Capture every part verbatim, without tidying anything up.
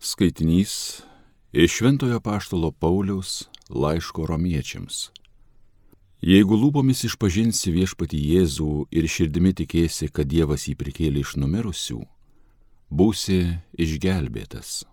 Skaitinys iš Šventojo apaštalo Pauliaus laiško romiečiams. Jeigu lūpomis išpažinsi viešpatį Jėzų ir širdimi tikėsi, kad Dievas jį prikėlė iš numirusių, būsi išgelbėtas.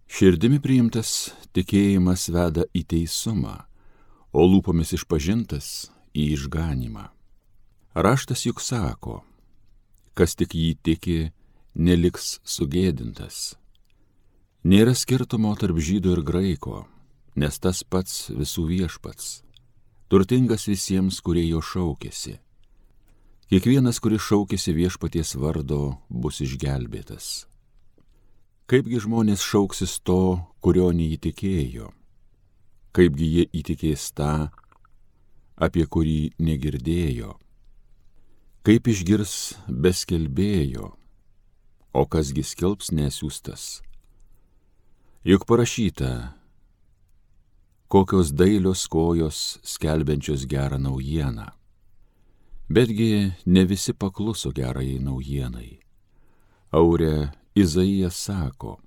Širdimi priimtas tikėjimas veda į teisumą, o lūpomis išpažintas į išganymą. Raštas juk sako, kas tik jį tiki, neliks sugėdintas. Nėra skirtumo tarp žydo ir graiko, nes tas pats visų viešpats, turtingas visiems, kurie jo šaukėsi. Kiekvienas, kuris šaukėsi viešpaties vardo, bus išgelbėtas. Kaipgi žmonės šauksis to, kurio neįtikėjo? Kaipgi jie įtikės tą, apie kurį negirdėjo? Kaip išgirs be skelbėjo, o kasgi skelbs nesiųstas? Juk parašyta, kokios dailios kojos skelbiančios gerą naujieną. Betgi ne visi pakluso gerajai naujienai. Aure Izaijas sako,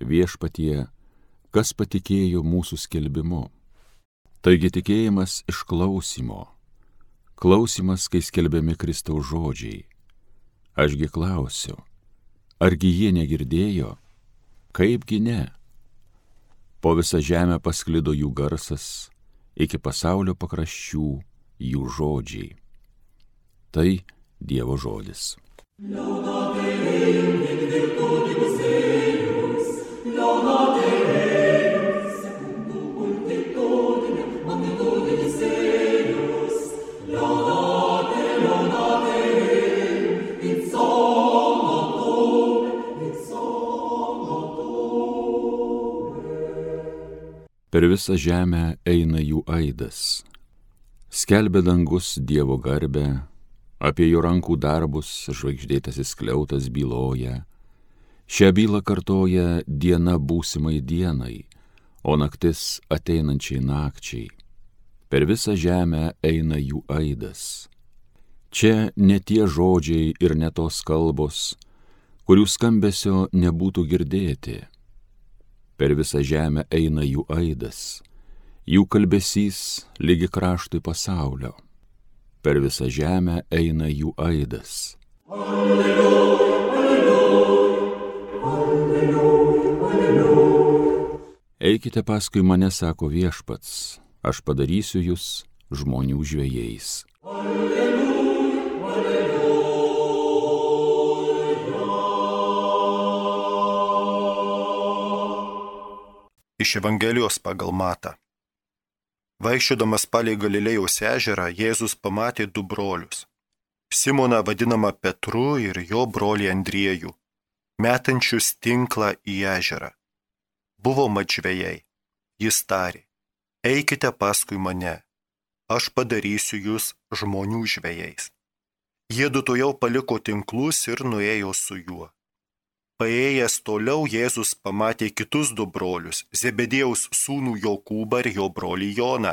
viešpatie, kas patikėjo mūsų skelbimu. Taigi tikėjimas iš klausymo, klausymas, kai skelbiami Kristaus žodžiai. Ašgi klausiu, argi jie negirdėjo? Kaipgi ne? Po visą žemę pasklido jų garsas, iki pasaulio pakraščių jų žodžiai. Tai Dievo žodis. Per visą žemę eina jų aidas, skelbia dangus Dievo garbę, apie jo rankų darbus žvaigždėtasis skliautas byloja, šią bylą kartoja diena būsimai dienai, o naktis ateinančiai nakčiai. Per visą žemę eina jų aidas. Čia ne tie žodžiai ir ne tos kalbos, kurių skambesio nebūtų girdėti. Per visą žemę eina jų aidas, jų kalbesys lygi kraštui pasaulio. Per visą žemę eina jų aidas. Alleluja, alleluja, alleluja, alleluja. Eikite paskui mane, sako viešpats, aš padarysiu jūs žmonių žvejais. Alleluja, alleluja. Iš Evangelijos pagal Matą. Vaikščiodamas palei Galilėjos ežerą, Jėzus pamatė du brolius. Simoną vadinamą Petru ir jo brolį Andriejų, metančius tinklą į ežerą. Buvo mat žvejai. Jis tarė, eikite paskui mane, aš padarysiu jūs žmonių žvejais. Jiedu tuojau paliko tinklus ir nuėjo su juo. Paėjęs toliau Jėzus pamatė kitus du brolius, Zebediejaus sūnų Jokūbą ir jo brolį Joną.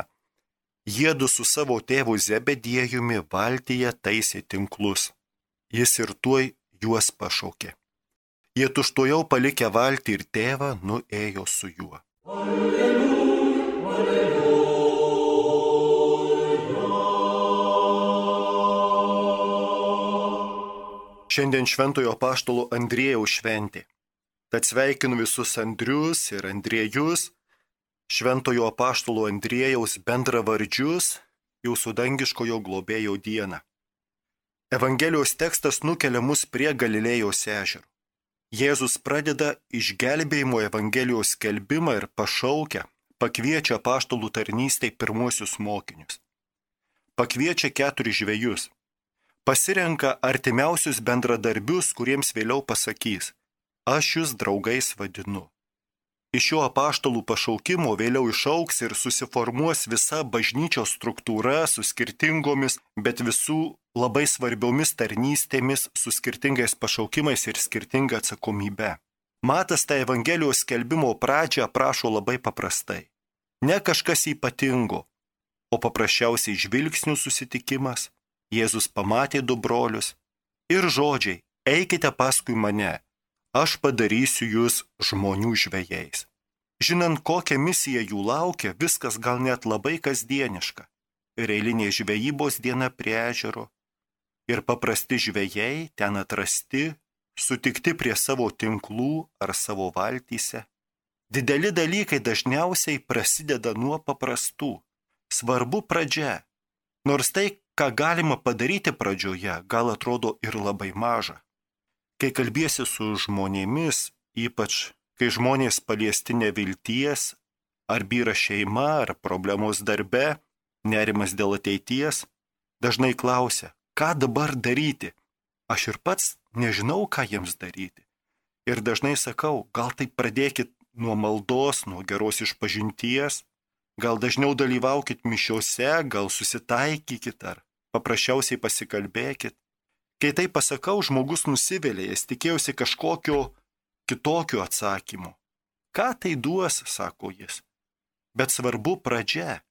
Jiedu su savo tėvu Zebediejumi valtyje taisė tinklus. Jis ir tuoj juos pašaukė. Jie tučtuojau palikę valtį ir tėvą nuėjo su juo. Alleluja, alleluja. Šiandien Šventojo apaštalo Andriejaus šventė. Tad sveikinu visus Andrius ir Andriejus, Šventojo apaštalo Andriejaus bendravardžius, jūsų dangiškojo globėjo dieną. Evangelijos tekstas nukelia mus prie Galilėjos ežero. Jėzus pradeda išgelbėjimo Evangelijos skelbimą ir pašaukia, pakviečia apaštalų tarnystei pirmuosius mokinius. Pakviečia keturis žvejus. Pasirenka artimiausius bendradarbius, kuriems vėliau pasakys, aš jūs draugais vadinu. Iš šio apaštalų pašaukimo vėliau išaugs ir susiformuos visa bažnyčios struktūra su skirtingomis, bet visų labai svarbiomis tarnystėmis, su skirtingais pašaukimais ir skirtinga atsakomybe. Matas tą Evangelijos skelbimo pradžią aprašo labai paprastai. Ne kažkas ypatingo, o paprasčiausiai žvilgsnių susitikimas. Jėzus pamatė du brolius ir žodžiai, eikite paskui mane, aš padarysiu jūs žmonių žvejais. Žinant, kokią misiją jų laukia, viskas gal net labai kasdieniška. Ir eilinė žvejybos diena prie ežero. Ir paprasti žvejai ten atrasti, sutikti prie savo tinklų ar savo valtyse. Dideli dalykai dažniausiai prasideda nuo paprastų. Svarbu pradžia. Nors tai, ką galima padaryti pradžioje, gal atrodo ir labai maža. Kai kalbiesi su žmonėmis, ypač kai žmonės paliesti nevilties, ar byra šeima, ar problemos darbe, nerimas dėl ateities, dažnai klausia, ką dabar daryti. Aš ir pats nežinau, ką jiems daryti. Ir dažnai sakau, gal tai pradėkit nuo maldos, nuo geros išpažinties, gal dažniau dalyvaukit mišiose, gal susitaikykit ar paprasčiausiai pasikalbėkit. Kai tai pasakau, žmogus nusivylė, jis tikėjosi kažkokio kitokio atsakymo. Ką tai duos, sako jis. Bet svarbu pradžia.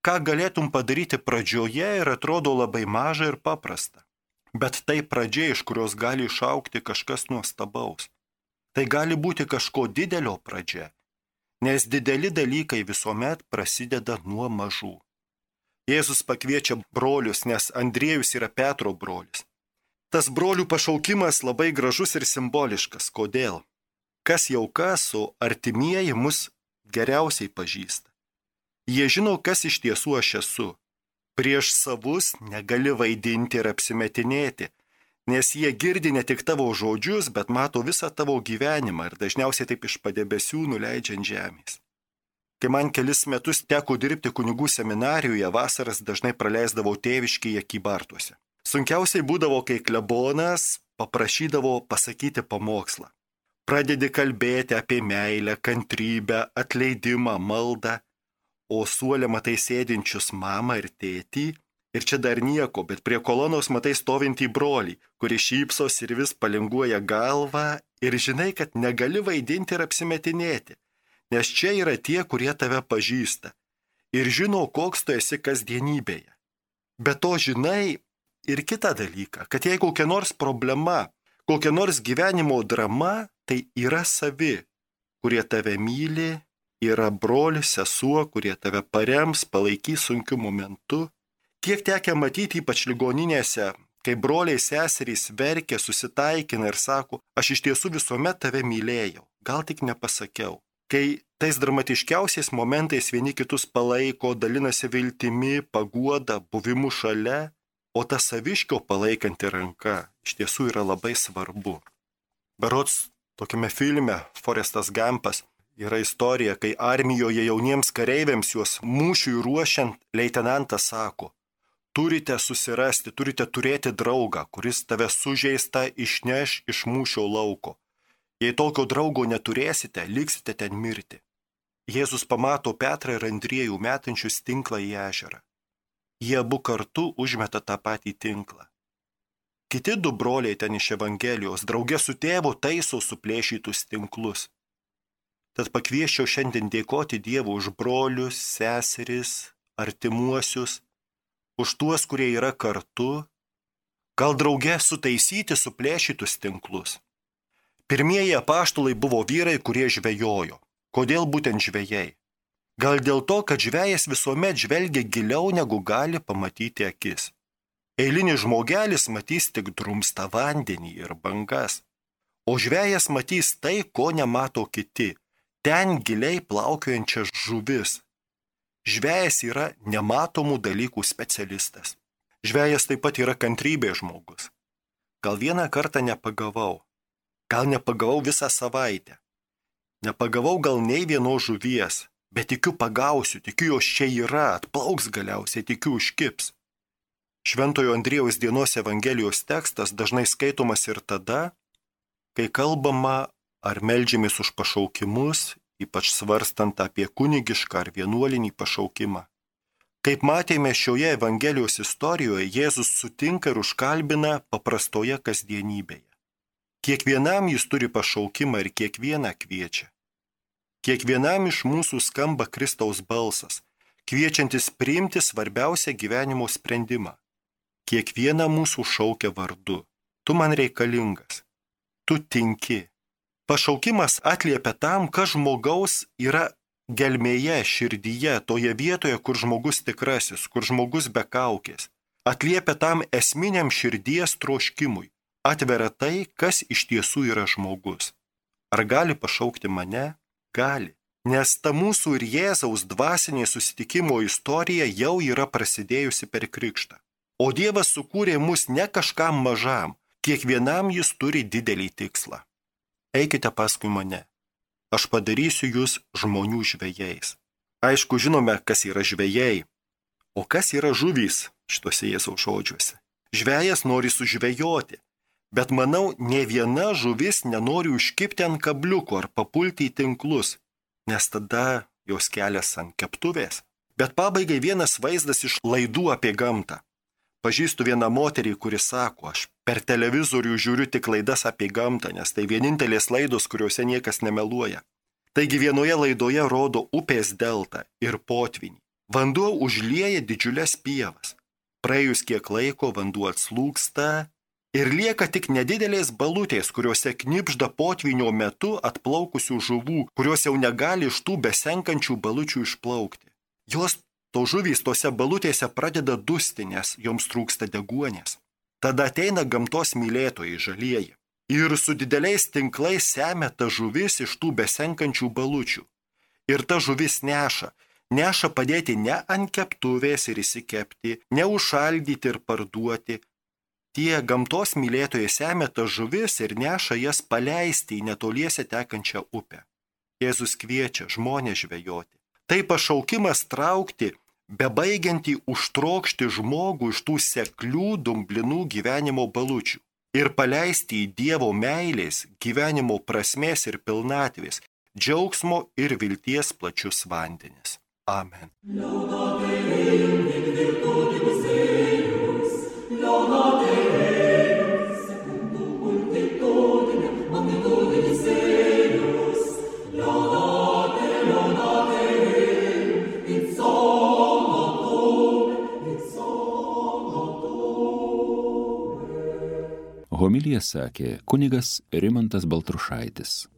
Ką galėtum padaryti pradžioje ir atrodo labai maža ir paprasta. Bet tai pradžia, iš kurios gali išaukti kažkas nuostabaus. Tai gali būti kažko didelio pradžia, nes dideli dalykai visuomet prasideda nuo mažų. Jėzus pakviečia brolius, nes Andriejus yra Petro brolis. Tas brolių pašaukimas labai gražus ir simboliškas. Kodėl? Kas jau kas, o artimieji mus geriausiai pažįsta. Jie žino, kas iš tiesų aš esu. Prieš savus negali vaidinti ir apsimetinėti, nes jie girdi ne tik tavo žodžius, bet mato visą tavo gyvenimą ir dažniausiai taip iš padebesių nuleidžiant žemės. Kai man kelis metus teko dirbti kunigų seminarijoje, vasaras dažnai praleisdavau tėviškėje Kybartuose. Sunkiausiai būdavo, kai klebonas paprašydavo pasakyti pamokslą. Pradedi kalbėti apie meilę, kantrybę, atleidimą, maldą, o suole matai sėdinčius mamą ir tėtį, ir čia dar nieko, bet prie kolonos matai stovintį brolį, kuris šypsos ir vis palinguoja galvą, ir žinai, kad negali vaidinti ir apsimetinėti, nes čia yra tie, kurie tave pažįsta ir žino, koks tu esi kasdienybėje. Be to žinai ir kitą dalyką, kad jei kokia nors problema, kokia nors gyvenimo drama, tai yra savi, kurie tave myli, yra brolis, sesuo, kurie tave parems, palaikys sunkiu momentu. Kiek tekę matyti ypač ligoninėse, kai broliai seserys verkia, susitaikina ir sako, aš iš tiesų visuomet tave mylėjau, gal tik nepasakiau. Kai tais dramatiškiausiais momentais vieni kitus palaiko, dalinasi viltimi, paguoda, buvimu šalia, o ta saviškio palaikanti ranka iš tiesų yra labai svarbu. Berods tokiame filme Forestas Gampas yra istorija, kai armijoje jauniems kareiviams juos mūšiui ruošiant leitenantas sako, turite susirasti, turite turėti draugą, kuris tave sužeistą išneš iš mūšio lauko. Jei tokio draugo neturėsite, liksite ten mirti. Jėzus pamato Petrą ir Andriejų metančius tinklą į ežerą. Jie abu kartu užmeta tą patį tinklą. Kiti du broliai ten iš Evangelijos drauge su tėvu taiso suplėšytus tinklus. Tad pakvieščiau šiandien dėkoti Dievui už brolius, seseris, artimuosius, už tuos, kurie yra kartu, gal drauge sutaisyti suplėšytus tinklus. Pirmieji apaštalai buvo vyrai, kurie žvejojo. Kodėl būtent žvejai? Gal dėl to, kad žvejas visuomet žvelgia giliau, negu gali pamatyti akis. Eilinis žmogelis matys tik drumstą vandenį ir bangas, o žvejas matys tai, ko nemato kiti, ten giliai plaukiojančias žuvis. Žvejas yra nematomų dalykų specialistas. Žvejas taip pat yra kantrybės žmogus. Gal vieną kartą nepagavau, gal nepagavau visą savaitę. Nepagavau gal nei vienos žuvies, bet tikiu pagausiu, tikiu jos čia yra, atplauks galiausiai, tikiu užkips. Šventojo Andriejaus dienos Evangelijos tekstas dažnai skaitomas ir tada, kai kalbama ar meldžiamės už pašaukimus, ypač svarstant apie kunigišką ar vienuolinį pašaukimą. Kaip matėme šioje Evangelijos istorijoje, Jėzus sutinka ir užkalbina paprastoje kasdienybėje. Kiekvienam jis turi pašaukimą ir kiekvieną kviečia. Kiekvienam iš mūsų skamba Kristaus balsas, kviečiantis priimti svarbiausią gyvenimo sprendimą. Kiekvieną mūsų šaukia vardu. Tu man reikalingas. Tu tinki. Pašaukimas atliepia tam, kas žmogaus yra gelmėje, širdyje, toje vietoje, kur žmogus tikrasis, kur žmogus be kaukės. Atliepia tam esminiam širdies troškimui. Atveria tai, kas iš tiesų yra žmogus. Ar gali pašaukti mane? Gali. Nes ta mūsų ir Jėzaus dvasinė susitikimo istorija jau yra prasidėjusi per krikštą. O Dievas sukūrė mus ne kažkam mažam, kiekvienam jis turi didelį tikslą. Eikite paskui mane. Aš padarysiu jūs žmonių žvejais. Aišku, žinome, kas yra žvejai. O kas yra žuvys šituose Jėzaus žodžiuose? Žvejas nori sužvejoti, bet manau, ne viena žuvis nenori užkipti ant kabliuko ar papulti į tinklus, nes tada jos kelias ant keptuvės. Bet pabaigai vienas vaizdas iš laidų apie gamtą. Pažįstu vieną moterį, kuri sako, aš per televizorių žiūriu tik laidas apie gamtą, nes tai vienintelės laidos, kuriuose niekas nemeluoja. Taigi vienoje laidoje rodo upės deltą ir potvynį. Vanduo užlieja didžiulės pievas. Praėjus kiek laiko vanduo atslūgsta ir lieka tik nedidelės balutės, kuriuose knibžda potvynio metu atplaukusių žuvų, kurios jau negali iš tų besenkančių balučių išplaukti. Jos to žuvys tose balutėse pradeda dusti, nes joms trūksta deguonies. Tada ateina gamtos mylėtojai žalieji ir su dideliais tinklais semia ta žuvis iš tų besenkančių balučių. Ir ta žuvis neša, neša padėti ne ant keptuvės ir įsikepti, ne užšaldyti ir parduoti. Tie gamtos mylėtojai semia ta žuvis ir neša jas paleisti į netoliese tekančią upę. Jėzus kviečia žmonės žvejoti. Tai pašaukimas traukti bebaigiantį užtrokšti žmogų iš tų seklių, dumblinų gyvenimo balučių ir paleisti į Dievo meilės, gyvenimo prasmės ir pilnatvės, džiaugsmo ir vilties plačius vandenis. Amen. Homiliją sakė kunigas Rimantas Baltrušaitis.